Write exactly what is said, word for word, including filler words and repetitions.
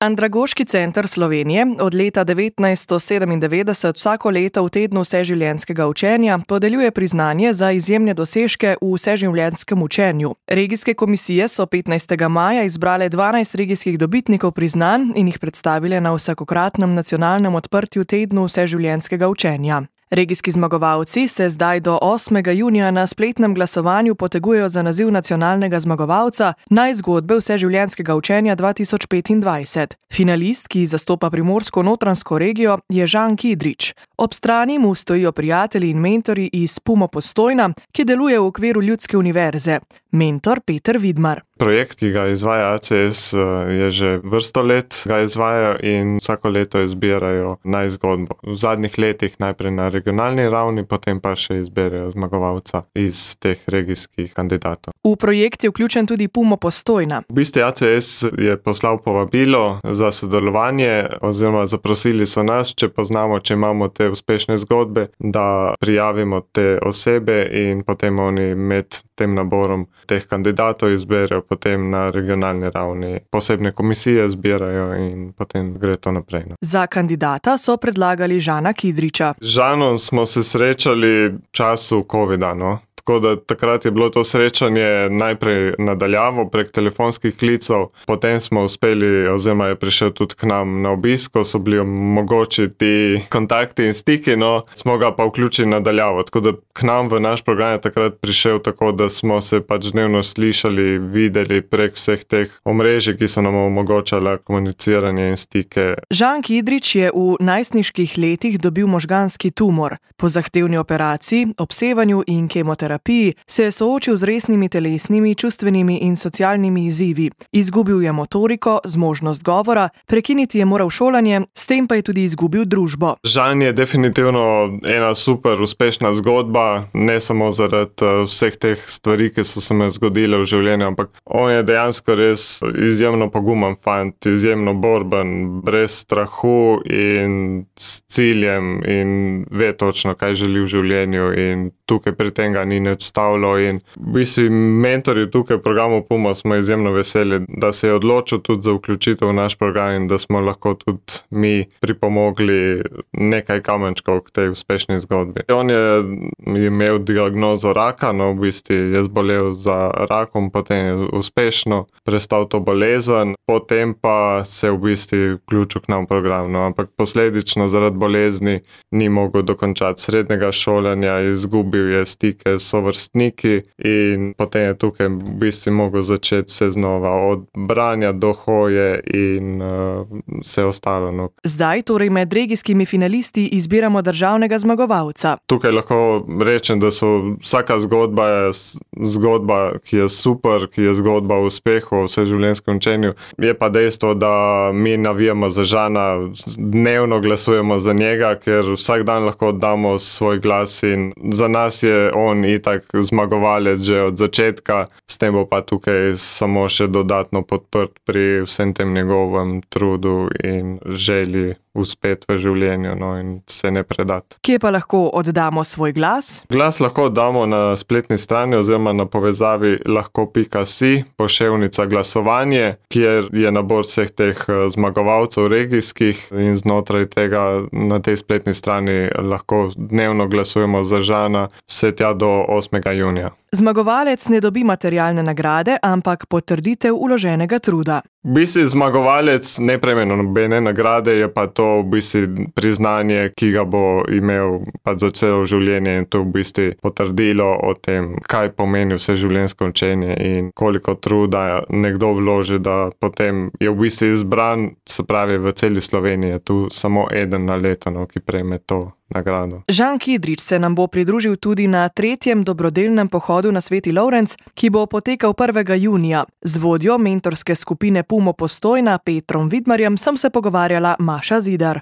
Andragoški center Slovenije od leta devetnajststo sedemindevetdeset vsako leto v tednu vseživljenjskega učenja podeljuje priznanje za izjemne dosežke v vseživljenjskem učenju. Regijske komisije so petnajstega maja izbrale dvanajst regijskih dobitnikov priznanj in jih predstavile na vsakokratnem nacionalnem odprtju tednu vseživljenjskega učenja. Regijski zmagovalci se zdaj do osmega junija na spletnem glasovanju potegujejo za naziv nacionalnega zmagovalca najzgodbe vseživljenjskega učenja dva tisoč petindvajset. Finalist, ki zastopa Primorsko-notranjsko regijo, je Žan Kidrič. Ob strani mu stojijo prijatelji in mentorji iz Pumo Postojna, ki deluje v okviru Ljudske univerze. Mentor Peter Vidmar. Projekt, ki ga izvaja A C S, je že vrsto let ga izvajajo in vsako leto izbirajo najzgodbo. V zadnjih letih najprej na regionalni ravni, potem pa še izberajo zmagovalca iz teh regijskih kandidatov. V projekt je vključen tudi Pumo Postojna. V bistvu A C S je poslal povabilo za sodelovanje oziroma zaprosili so nas, če poznamo, če imamo te uspešne zgodbe, da prijavimo te osebe in potem oni med tem naborom teh kandidatov izberajo potem na regionalni ravni. Posebne komisije zbirajo in potem gre to naprej. No. Za kandidata so predlagali Žana Kidriča. Z Žanom smo se srečali v času covida, no. Tako da takrat je bilo to srečanje najprej nadaljavo prek telefonskih klicev, potem smo uspeli, oziroma je prišel tudi k nam na obisko, so bili mogoči ti kontakti in stiki, no, smo ga pa vključili nadaljavo. Tako da k nam v naš program je takrat prišel tako, da smo se pač dnevno slišali, videli prek vseh teh omrežij, ki so nam omogočala komuniciranje in stike. Žan Kidrič je v najstniških letih dobil možganski tumor. Po zahtevni operaciji, obsevanju in kemoterapiji se je soočil z resnimi telesnimi, čustvenimi in socialnimi izzivi. Izgubil je motoriko, zmožnost govora, prekiniti je moral šolanje, s tem pa je tudi izgubil družbo. Žan je definitivno ena super uspešna zgodba, ne samo zaradi vseh teh stvari, ki so se me zgodile v življenju, ampak on je dejansko res izjemno pogumen fant, izjemno borben, brez strahu in s ciljem in ve točno, kaj želi v življenju in tukaj pri tem ga ni odstavilo in v bistvu mentorji tukaj v programu Pumo smo izjemno veseli, da se je odločil tudi za vključitev v naš program in da smo lahko tudi mi pripomogli nekaj kamenčkov k tej uspešni zgodbi. On je imel diagnozo raka, no v bistvu je zbolel za rakom, potem je uspešno prestal to bolezen, potem pa se je v bistvu vključil k nam v program, no, ampak posledično zaradi bolezni ni mogel dokončati srednjega šolanja, izgubil je stike s sovrstniki in potem je tukaj v bistvu mogel začeti vse znova, od branja do hoje in uh, vse ostalo. No. Zdaj torej med regijskimi finalisti izbiramo državnega zmagovalca. Tukaj lahko rečem, da so vsaka zgodba je zgodba, ki je super, ki je zgodba o uspehu, o vseživljenjskem učenju. Je pa dejstvo, da mi navijamo za Žana, dnevno glasujemo za njega, ker vsak dan lahko damo svoj glas in za nas je on itak zmagovalec že od začetka, s tem bo pa tukaj samo še dodatno podprt pri vsem tem njegovem trudu in želji uspeti v življenju, no, in se ne predati. Kje pa lahko oddamo svoj glas? Glas lahko oddamo na spletni strani oziroma na povezavi lahko pika si, poševnica glasovanje, kjer je nabor vseh teh zmagovalcev regijskih in znotraj tega na tej spletni strani lahko dnevno glasujemo za Žana vse tja do osmega junija. Zmagovalec ne dobi materialne nagrade, ampak potrditev vloženega truda. V bistvu zmagovalec ne prejme nobene nagrade, je pa to v bistvu priznanje, ki ga bo imel pa za celo življenje in to v bistvu potrdilo o tem, kaj pomeni vseživljenjsko učenje in koliko truda nekdo vloži, da potem je v bistvu izbran, se pravi v celi Sloveniji je tu samo eden na leto, no, ki prejme to nagrado. Žan Kidrič se nam bo pridružil tudi na tretjem dobrodelnem pohodu na Sveti Lovrenc, ki bo potekal prvega junija. Z vodjo mentorske skupine Pumo Postojna Petrom Vidmarjem sem se pogovarjala Maša Zidar.